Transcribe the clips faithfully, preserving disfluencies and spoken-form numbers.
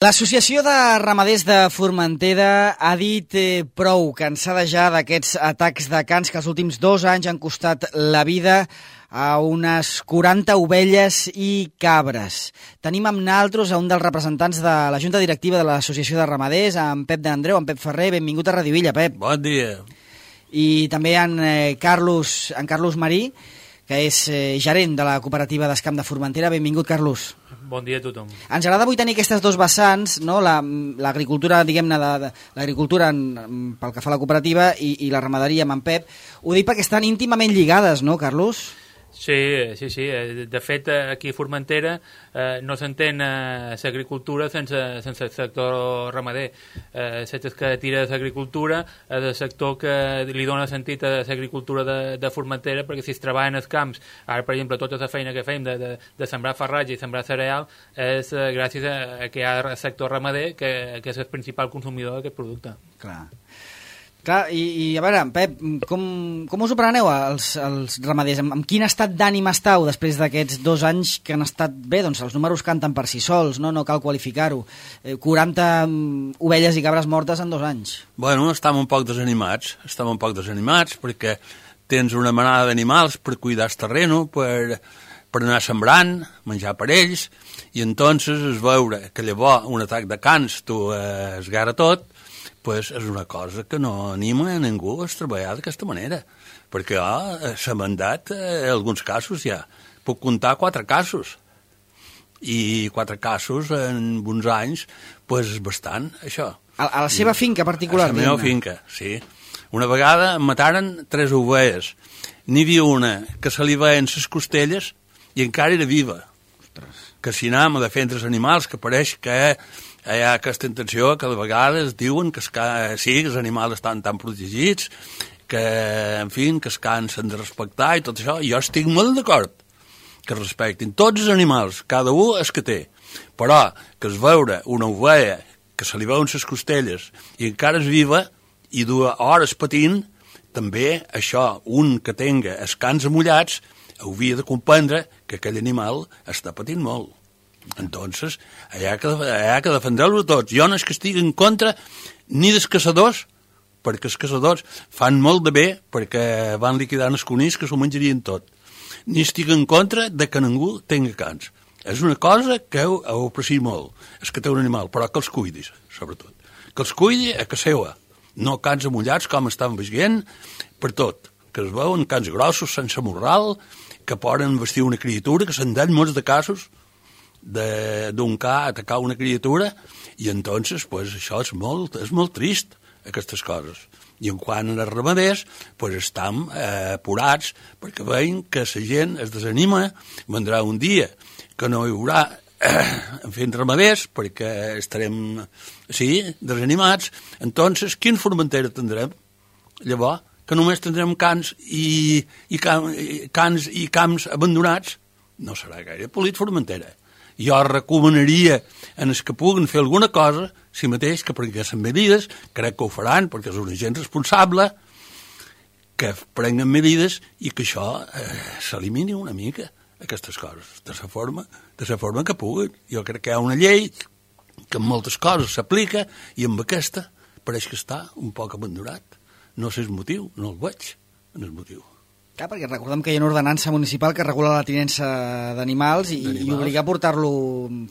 L'Associació de Ramaders de Formentera ha dit eh, prou, cansada ja d'aquests atacs de cans que els últims dos anys han costat la vida a unes quaranta ovelles i cabres. Tenim amb naltros a un dels representants de la Junta Directiva de l'Associació de Ramaders, en Pep d'Andreu, en Pep Ferrer. Benvingut a Radio Illa, Pep. Bon dia. I també en, eh, Carlos, en Carlos Marí, que és eh, gerent de la cooperativa d'Escamp de Formentera. Benvingut, Carlos. Bon dia a tothom. Ens agrada avui tenir aquestes dos vessants, no? l'agricultura, diguem-ne, de, de, l'agricultura en, pel que fa a la cooperativa i, i la ramaderia amb en Pep. Ho dic perquè estan íntimament lligades, no, Carlos? Sí, sí, sí. De fet, aquí a Formentera eh, no s'entén eh, l'agricultura sense, sense el sector ramader. Eh, la que tira de l'agricultura és el sector que li dona sentit a l'agricultura de, de Formentera, perquè si es treballa en els camps, ara, per exemple, tota la feina que fem de, de, de sembrar farratge i sembrar cereal és eh, gràcies a, a que hi ha el sector ramader, que, que és el principal consumidor d'aquest producte. Clar. Clar, i, i a veure, Pep, com, com us ho preneu els, els ramaders? Amb, amb quin estat d'ànim estàu després d'aquests dos anys que han estat bé? Doncs els números canten per si sols, no, no cal qualificar-ho. Eh, quaranta ovelles i cabres mortes en dos anys. Bueno, estem un poc desanimats, estem un poc desanimats perquè tens una manada d'animals per cuidar el terreno, per, per anar sembrant, menjar per ells, i entonces es veure que llavors un atac de cans tu eh, esgarra tot, pues és una cosa que no anima a ningú a treballar d'aquesta manera, perquè oh, s'ha mandat eh, en alguns casos ja. Puc comptar quatre casos, i quatre casos en uns anys, pues és bastant, això. A, a la seva finca particular? A la meva finca, sí. Una vegada em mataren tres ovelles. N'hi havia una que se li veien les costelles i encara era viva. Ostres. Que si anem a defendre els animals, que pareix que hi ha aquesta intenció que de vegades diuen que, que sí, que els animals estan tan protegits, que, en fi, que es cansen de respectar i tot això. Jo estic molt d'acord que respectin tots els animals, cada un és que té. Però que es veure una ovella que se li veuen les costelles i encara és viva i dues hores patint, també això, un que tenga els cans amullats, hauria de comprendre que aquell animal està patint molt. Entonces, hi ha que, hi ha que defendre-lo tots. Jo no és que estigui en contra ni dels caçadors, perquè els caçadors fan molt de bé perquè van liquidant els conills que s'ho menjarien tot. Ni estic en contra de que ningú tingui cans. És una cosa que ho, ho aprecio molt, és que té un animal, però que els cuidis, sobretot. Que els cuidi a casa seva, no cans amullats com estan veient per tot, que es veuen cans grossos, sense morral, que poden vestir una criatura, que se'n dan molts de casos, d'un ca atacar una criatura, i entonces pues, això és molt, és molt trist, aquestes coses. I en quant als ramaders, pues, estem eh, apurats perquè veiem que la gent es desanima, vendrà un dia que no hi haurà eh, en fin, ramaders, perquè estarem sí, desanimats. Entonces, quin Formentera tindrem? Llavors, que només tindrem cans i, i, cam, i cans i camps abandonats, no serà gaire polit Formentera. Jo recomanaria en els que puguen fer alguna cosa, si mateix que prenguessin medides, crec que ho faran perquè és una gent responsable, que prenguen medides i que això eh, s'elimini una mica, aquestes coses, de la forma, de la forma que puguen. Jo crec que hi ha una llei que en moltes coses s'aplica i amb aquesta pareix que està un poc abandonat. No sé el motiu, no el veig en el motiu. Clar, perquè recordem que hi ha una ordenança municipal que regula la tinença d'animals i, i obliga a portar-lo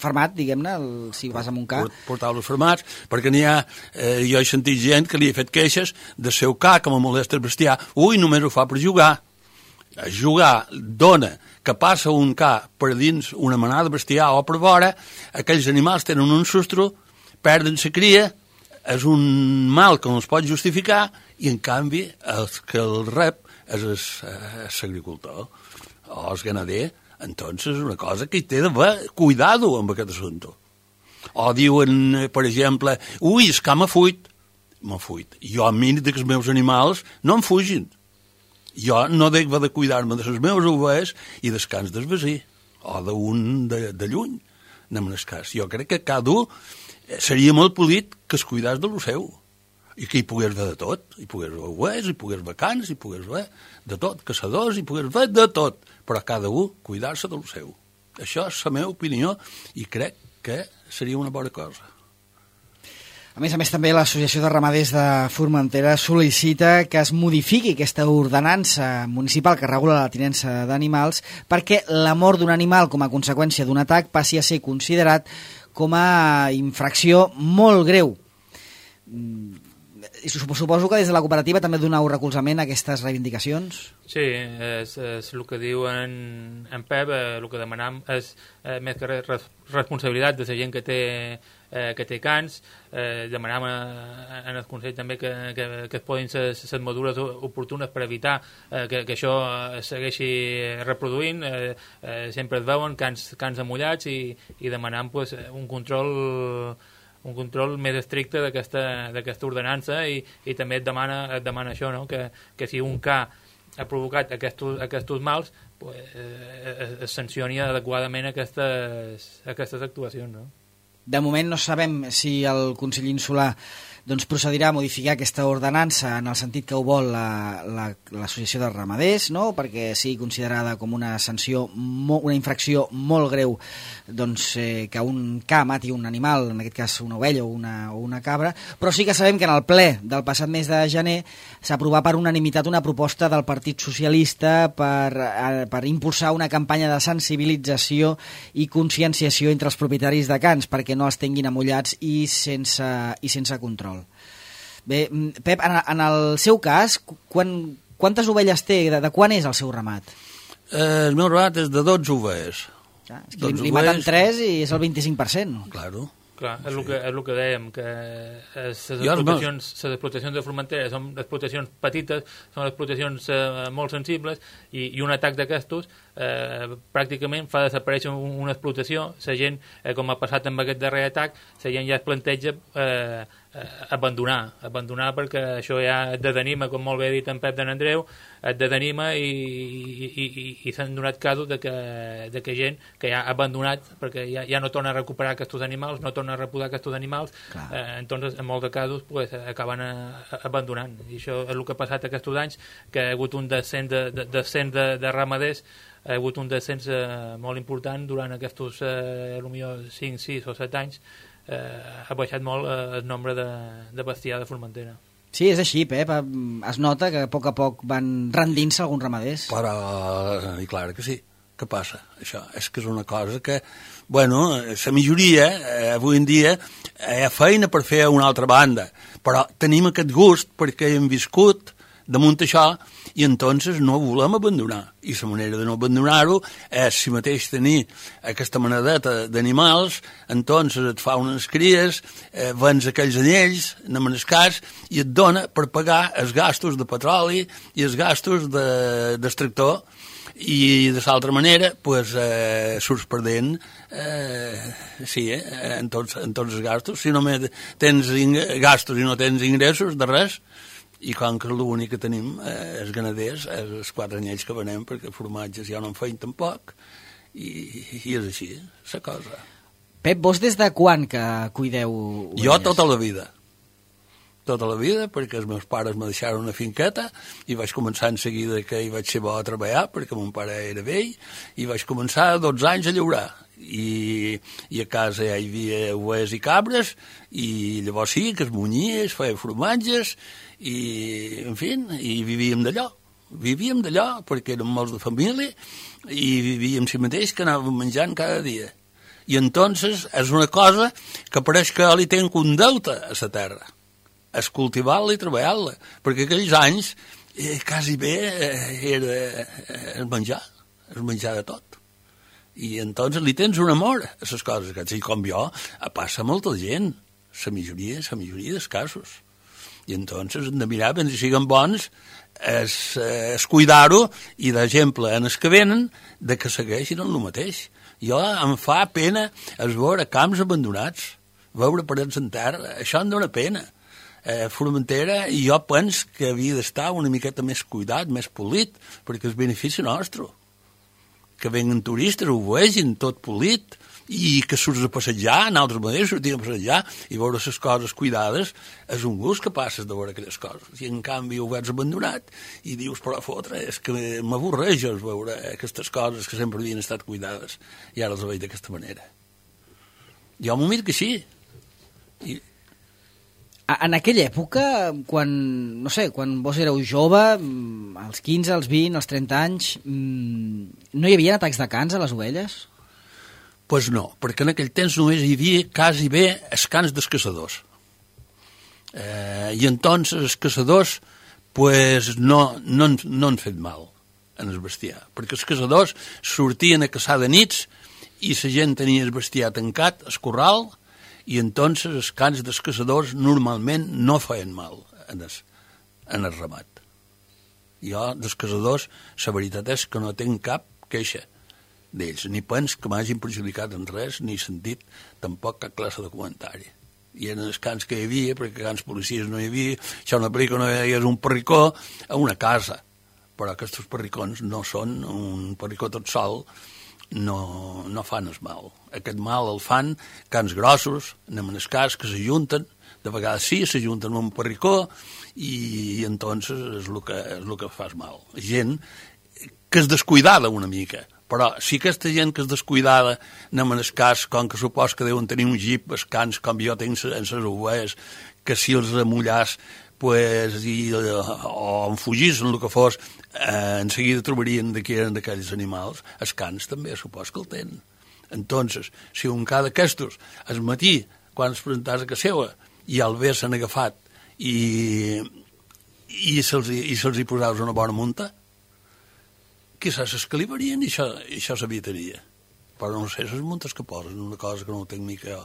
fermat, diguem-ne, si vas amb un ca. Portar-los fermats, perquè n'hi ha, eh, jo he sentit gent que li ha fet queixes de seu ca, que me molesta el bestiar. Ui, només ho fa per jugar. Jugar dona que passa un ca per dins una manada de bestiar o per vora, aquells animals tenen un sustro, perden la cria, és un mal que no es pot justificar, i en canvi el que el rep és l'agricultor o el ganader, entonces és una cosa que hi té d'haver cuidado amb aquest assumpte. O diuen, per exemple, ui, és que m'ha fuit. M'ha fuit. Jo a mi que els meus animals no em fugin. Jo no dec de cuidar-me de les meves ovelles i dels cans del vecí, o d'un de, de lluny, anem en el cas. Jo crec que cada un seria molt polit que es cuidàs de lo seu, i que hi pogués ver de tot, hi pogués ver ovelles, hi pogués ver cans, hi pogués ver de tot, caçadors, hi pogués ver de tot, però cada un cuidar-se del seu. Això és la meva opinió i crec que seria una bona cosa. A més a més, també l'Associació de Ramaders de Formentera sol·licita que es modifiqui aquesta ordenança municipal que regula la tinença d'animals perquè la mort d'un animal com a conseqüència d'un atac passi a ser considerat com a infracció molt greu. I suposo que des de la cooperativa també doneu recolzament a aquestes reivindicacions? Sí, és, és el que diu en, en Pep, eh, el que demanam és eh, més que res responsabilitat de la gent que té, eh, que té cans. Eh, demanam a, en el Consell també que, que, que es poden ser les mesures oportunes per evitar eh, que, que això es segueixi reproduint. Eh, eh, sempre es veuen cans, cans amullats i, i demanam pues, un control un control més estricte d'aquesta ordenança i, i també et demana, et demana això, no? que, que si un ca ha provocat aquests, aquests mals, pues, eh, es sancioni adequadament aquestes, aquestes actuacions. No? De moment no sabem si el Consell Insular doncs, procedirà a modificar aquesta ordenança en el sentit que ho vol l'Associació la, la, de Ramaders, no? Perquè sigui considerada com una sanció, una infracció molt greu doncs, eh, que un ca mati un animal, en aquest cas una ovella o una, o una cabra, però sí que sabem que en el ple del passat mes de gener s'ha aprovat per unanimitat una proposta del Partit Socialista per, eh, per impulsar una campanya de sensibilització i conscienciació entre els propietaris de cans perquè no es tinguin amullats i sense, i sense control. Bé, Pep, en, en el seu cas, quan, quantes ovelles té? De, de quan és el seu ramat? Eh, el meu ramat és de dotze ovelles. Ah, és que li, li maten tres i és el vint-i-cinc per cent. Claro. Clar, és, sí. el que, és el que dèiem, que les explotacions, les explotacions de Formentera són explotacions petites, són explotacions eh, molt sensibles i, i un atac d'aquestos eh, pràcticament fa desaparèixer una explotació. La gent, eh, com ha passat amb aquest darrer atac, la gent ja es planteja eh, eh, abandonar, abandonar perquè això ja et desanima, com molt bé ha dit en Pep de n'Andreu, et desanima i, i, i, i, i s'han donat casos de que, de que gent que ja ha abandonat perquè ja, ja no torna a recuperar aquests animals, no torna a reposar aquests animals, eh, entonces en molts de casos pues, acaben a, a, abandonant. I això és el que ha passat aquests anys, que ha hagut un descens de, de, descens de, de ramaders, ha hagut un descens eh, molt important durant aquests eh, potser cinc, sis o set anys, eh, ha baixat molt eh, el nombre de, de bestiar de Formentera. Sí, és així, Pep. Es nota que a poc a poc van rendint-se alguns ramaders. Però, i clar que sí. Què passa? Això és que és una cosa que, bueno, la majoria, eh, avui en dia, hi ha feina per fer a una altra banda, però tenim aquest gust perquè hem viscut damunt això i entonces no volem abandonar. I la manera de no abandonar-ho és si mateix tenir aquesta manadeta d'animals, entonces et fa unes cries, eh, vens aquells anyells, anem en el cas, i et dona per pagar els gastos de petroli i els gastos d'extractor, i de l'altra manera pues, eh, surts perdent eh, sí, eh, en, tots, en tots els gastos. Si només tens gastos i no tens ingressos de res, i com que l'únic que tenim eh, els ganaders, els quatre anyells que venem, perquè formatges ja no en feien tampoc, i, i és així, la cosa. Pep, vos des de quan que cuideu ovelles? Jo tota la vida. Tota la vida, perquè els meus pares me deixaron una finqueta i vaig començar en seguida que hi vaig ser bo a treballar, perquè mon pare era vell, i vaig començar a dotze anys a llaurar. I, i a casa ja hi havia ovelles i cabres, i llavors sí, que es munyia, es feia formatges, i, en fi, i vivíem d'allò. Vivíem d'allò, perquè érem molts de família, i vivíem si mateix que anàvem menjant cada dia. I entonces és una cosa que pareix que li tenc un deute a la terra. És cultivar-la i treballar-la, perquè aquells anys eh, quasi bé eh, era eh, el menjar, el menjar de tot. I entonces li tens un amor a les coses, que així com jo, passa molta gent, la majoria, la majoria dels casos. I entonces hem de mirar, ben si siguen bons, és, és cuidar-ho, i d'exemple en els que venen, de que segueixin el mateix. Jo em fa pena es veure camps abandonats, veure parets en terra, això em dóna pena. Eh, Formentera, i jo penso que havia d'estar una miqueta més cuidat, més polit, perquè és benefici nostre. Que venguen turistes, ho vegin tot polit, i que surts a passejar, en altres maneres sortir a passejar i veure les coses cuidades, és un gust que passes de veure aquelles coses. I en canvi ho veus abandonat i dius, però fotre, és que m'avorreja veure aquestes coses que sempre havien estat cuidades i ara les veig d'aquesta manera. Jo m'ho miro que sí. I... En aquella època, quan, no sé, quan vos éreu jove, als quinze, als vint, als trenta anys, no hi havia atacs de cans a les ovelles? Doncs pues no, perquè en aquell temps només hi havia quasi bé els cans dels caçadors. Eh, I entonces els caçadors pues, no, no, no han fet mal en el bestiar, perquè els caçadors sortien a caçar de nits i la gent tenia el bestiar tancat, el corral, i entonces els cans dels caçadors normalment no feien mal en el, en el ramat. Jo, dels caçadors, la veritat és que no tinc cap queixa d'ells, ni pens que m'hagin perjudicat en res, ni sentit tampoc cap classe de comentari. I eren els cans que hi havia, perquè cans policies no hi havia, això una pel·lícula no hi havia un perricó a una casa, però aquests perricons no són un perricó tot sol, no, no fan el mal. Aquest mal el fan cans grossos, anem en el cas, que s'ajunten, de vegades sí, s'ajunten amb un perricó, i, i entonces és el que, és el que fa mal. Gent que és descuidada una mica, però si aquesta gent que és descuidada anem en el cas, com que supos que deuen tenir un jeep, els cans, com jo tinc en les ovelles, que si els amullàs pues, i, o en fugís, en el que fos, eh, en seguida trobarien de qui eren d'aquells animals. Els cans també supos que el tenen. Entonces, si un ca d'aquestos, al matí, quan es presentàs a casa seva, i al bé s'han agafat i, i se'ls i se'ls hi posaves una bona munta, quizás s'escalivarien i això, i això s'evitaria. Però no sé, les muntes que posen, una cosa que no ho tinc mica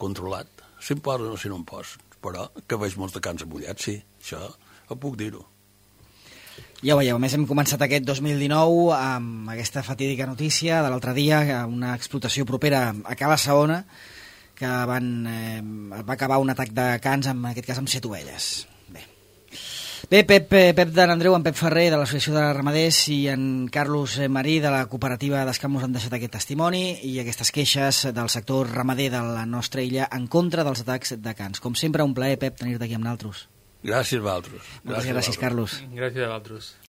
controlat. Si em posen o si no em posen. Però que veig molts de cans amullats, sí, això ho puc dir-ho. Ja ho veieu, a més hem començat aquest dos mil dinou amb aquesta fatídica notícia de l'altre dia, una explotació propera a Cala Saona, que van, eh, va acabar un atac de cans, en aquest cas amb set ovelles. Bé, Bé Pep, Pep d'en Andreu, en Pep Ferrer de l'Associació de Ramaders i en Carlos Marí de la cooperativa d'Escamós han deixat aquest testimoni i aquestes queixes del sector ramader de la nostra illa en contra dels atacs de cans. Com sempre, un plaer, Pep, tenir-te aquí amb nosaltres. Gràcies a vosaltres. Moltes gràcies, gràcies Carlos. Gràcies a vosaltres.